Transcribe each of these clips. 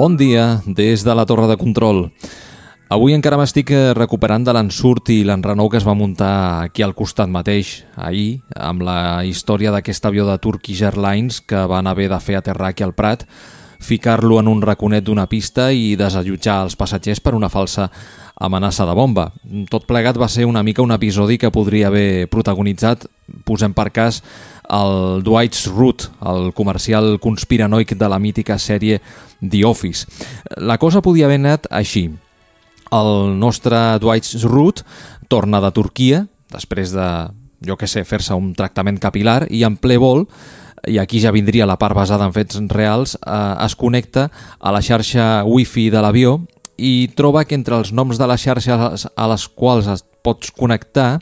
Bon dia des de la torre de control. Avui encara m'estic recuperant de l'ensurt i l'enrenou que es va muntar aquí al costat mateix, ahir, amb la història d'aquest avió de Turkish Airlines que van haver de fer aterrar aquí al Prat, ficar-lo en un raconet d'una pista i desallotjar els passatgers per una falsa amenaça de bomba. Tot plegat va ser una mica un episodi que podria haver protagonitzat, posem per cas, el Dwight Schrute, el comercial conspiranoic de la mítica sèrie The Office. La cosa podia haver anat així. El nostre Dwight Schrute torna de Turquia, després de, fer-se un tractament capilar, i en ple vol, i aquí ja vindria la part basada en fets reals, es connecta a la xarxa wifi de l'avió i troba que entre els noms de les xarxes a les quals es pots connectar,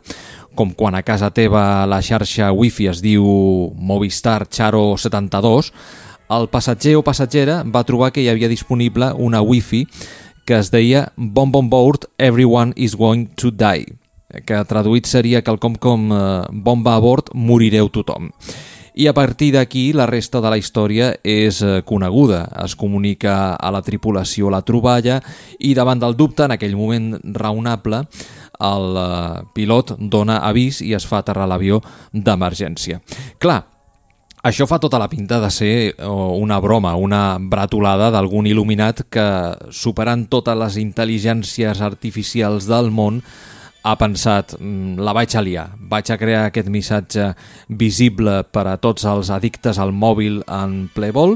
com quan a casa teva la xarxa wifi es diu Movistar Charo 72, el passatger o passatgera va trobar que hi havia disponible una wifi que es deia Bomb on board, everyone is going to die, que traduït seria quelcom com bomba a bord, morireu tothom. I a partir d'aquí la resta de la història és coneguda. Es comunica a la tripulació la troballa i davant del dubte, en aquell moment raonable, el pilot dona avís i es fa aterrar l'avió d'emergència. Clar, això fa tota la pinta de ser una broma, una bretolada d'algun il·luminat que, superant totes les intel·ligències artificials del món, ha pensat, la vaig a liar, vaig a crear aquest missatge visible per a tots els addictes al mòbil en ple vol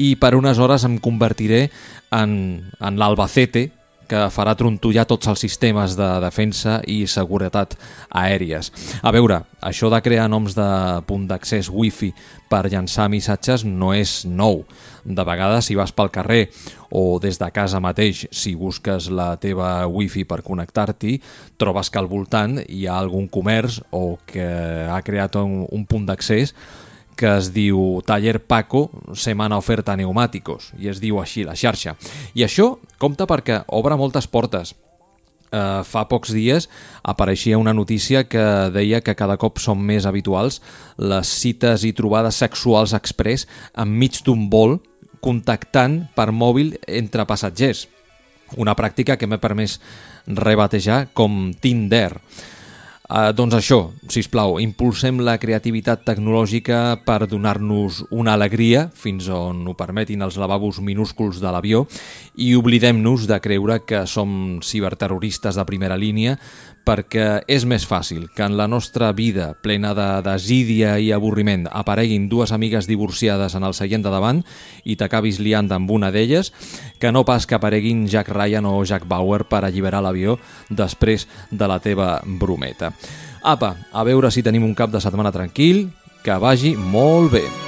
i per unes hores em convertiré en l'Albacete que farà trontollar tots els sistemes de defensa i seguretat aèries. A veure, això de crear noms de punt d'accés wifi per llançar missatges no és nou. De vegades, si vas pel carrer o des de casa mateix, si busques la teva wifi per connectar-t'hi, trobes que al voltant hi ha algun comerç o que ha creat un punt d'accés que es diu Taller Paco Semana Oferta Neumáticos, i es diu així la xarxa. I això compta perquè obre moltes portes. Fa pocs dies apareixia una notícia que deia que cada cop són més habituals les cites i trobades sexuals express enmig d'un vol contactant per mòbil entre passatgers. Una pràctica que m'he permès rebatejar com Tinder. Doncs això, sisplau, impulsem la creativitat tecnològica per donar-nos una alegria fins on ho permetin els lavabos minúsculs de l'avió i oblidem-nos de creure que som ciberterroristes de primera línia perquè és més fàcil que en la nostra vida plena de desídia i avorriment apareguin dues amigues divorciades en el seient de davant i t'acabis liant amb una d'elles que no pas que apareguin Jack Ryan o Jack Bauer per alliberar l'avió després de la teva brometa. Apa, a veure si tenim un cap de setmana tranquil, que vagi molt bé.